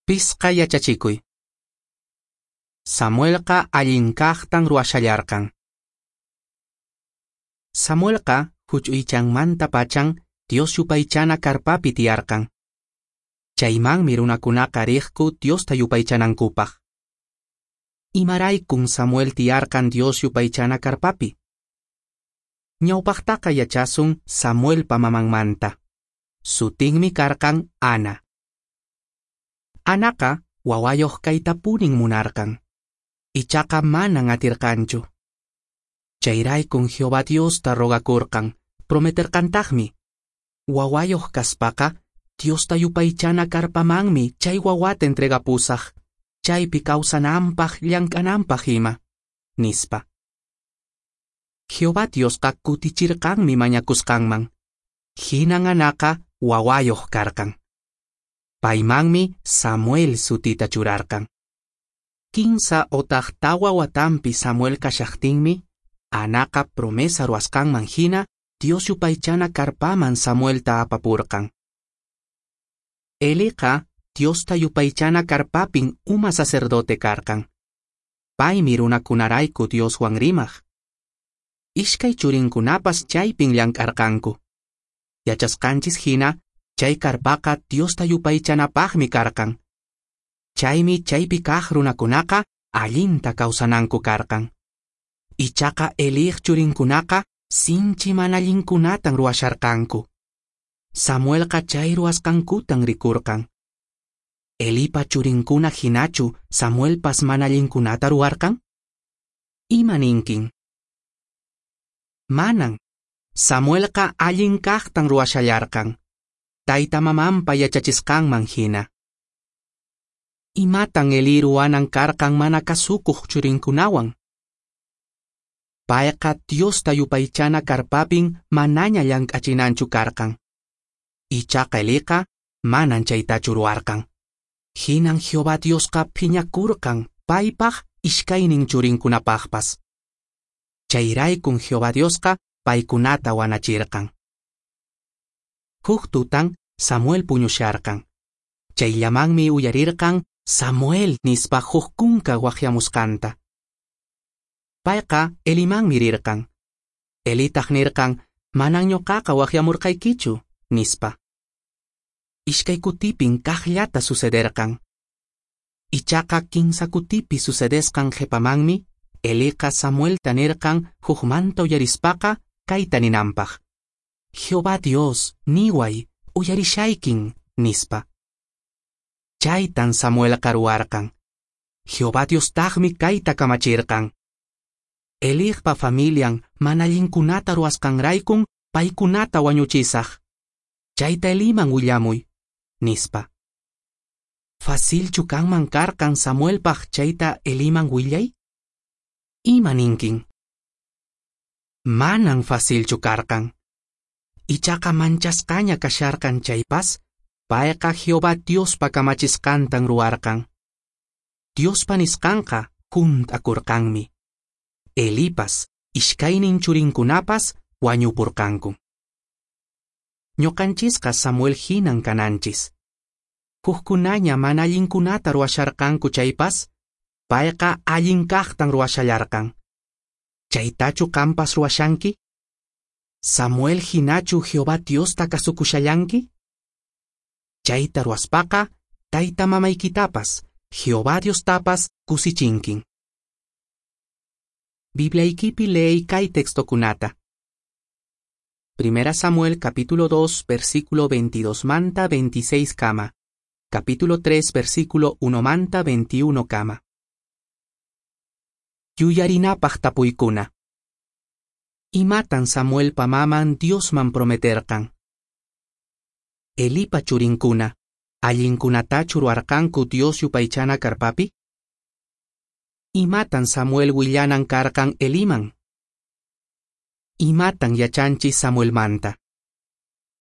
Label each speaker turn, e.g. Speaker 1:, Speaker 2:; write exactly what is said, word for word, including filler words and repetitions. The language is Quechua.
Speaker 1: Pisqa yachachikuy. Samuelqa allin kaqtan ruwashallarqan. Samuelqa huch'uychanmantapachan Dios yupaychana karpapi tiyarqan. Chaymanmi runakunaqa riqku Diosta yupaychanankupaq. Imaraykun Samuel tiyarqan Dios yupaychana karpapi? Ñawpaqtaqa yachasun Samuelpa mamanmanta. Sutinmi karqan Ana. Anaqa wawayoq kaytapunin munarqan. Ichaqa manan atirqanchu. Chayraykun Jehová Diosta rogakurqan, prometerqantaqmi. Wawayoq kaspaqa, Diosta yupaychana karpamanmi chay wawata entregapusaq, chaypi kawsananpaq llank'ananpaq ima, nispa. Jehová Diosqa kutichirqanmi mañakusqanman. Hinan Anaqa wawayoq karqan. Paymanmi Samuel sutita churarqan. Kinsa otaq tawa watanpi Samuel kashaqtinmi, Anaqa promesa ruwasqanman hina Dios yupaychana karpaman Samuelta apapurqan. Eliqa Diosta yupaychana karpapin uma sacerdote karqan. Paymi runakunarayku Dioswan rimaq. Iskay churinkunapas chaypin llank'arqanku. Yachasqanchis hina, chay karpaqa Diosta yupaychanapaqmi karqan. Chaymi chaypi kaq runakunaqa allinta kawsananku karqan. Ichaqa Eliq churinkunaqa sinchi mana allinkunatan ruwasharqanku. Samuelqa chay ruwasqankutan rikurqan. Elipa churinkuna hinachu Samuelpas mana allinkunata ruwarqan? Ima ninkin? Manan. Samuelqa allin kaqtan ruwashallarqan. Tayta mamanpa yachachisqanman hina. Imatan Eli ruwanan karqan mana kasukuq churinkunawan? Payqa Diosta yupaychana karpapin manaña llank'achinanchu karqan. Ichaqa Eliqa manan chaytachu ruwarqan. Hinan Jehová Diosqa phiñakurqan paypaq iskaynin churinkunapaqpas. Chayraykun Jehová Diosqa paykunata wanachirqan. Huk tutan Samuel puñusharqan. Chayllamanmi uyarirqan Samuel nispa huk kunka waqyamusqanta. Payqa Elimanmi rirqan. Elitaq nirqan, manan ñuqaqa waqyamurqaykichu, nispa. Iskay kutipin kaqllata sucederqan. Ichaqa kinsa kutipi sucedesqan qhipamanmi, Eliqa Samuelta nirqan hukmanta uyarispaqa kayta ninanpaq. Jehová Dios, niway, uyarishaykin, nispa. Chaytan Samuelqa ruwarqan. Jehová Diostaqmi kayta kamachirqan. Eliqpa familian mana allinkunata ruwasqanraykun paykunata wañuchisaq. Chayta Eliman willamuy, nispa. Facilchu kanman karqan Samuelpaq chayta Eliman willay? Ima ninkin? Manan facilchu karqan. Ichaqa manchasqaña kasharqan chaypas, payqa Jehová Diospa kamachisqantan ruwarqan. Diospa nisqanqa hunt'akurqanmi. Elipas, iskaynin churinkunapas wañupurqanku. Ñuqanchisqa Samuel hinan kananchis. Hukkunaña mana allinkunata ruwasharqanku chaypas, payqa allin kaqtan ruwashallarqan. Chaytachu qampas ruwashanki? Samuel hinachu Jehová Diosta kasukushallanki? Chayta ruwaspaqa, tayta mamaykitapas, Jehová Diostapas kusichinkin. Bibliaykipi leey kay textokunata. Primera Samuel capítulo dos, versículo veintidós manta veintiséis kama. Capítulo tres, versículo uno manta veintiuno kama. Yuyarinapaq tapuykuna. Imatan Samuelpa maman Diosman prometerqan? Elipa churinkuna, allinkunatachu ruwarqanku Dios yupaychana karpapi? Imatan Samuel willanan karqan Eliman? Imatan yachanchis Samuelmanta?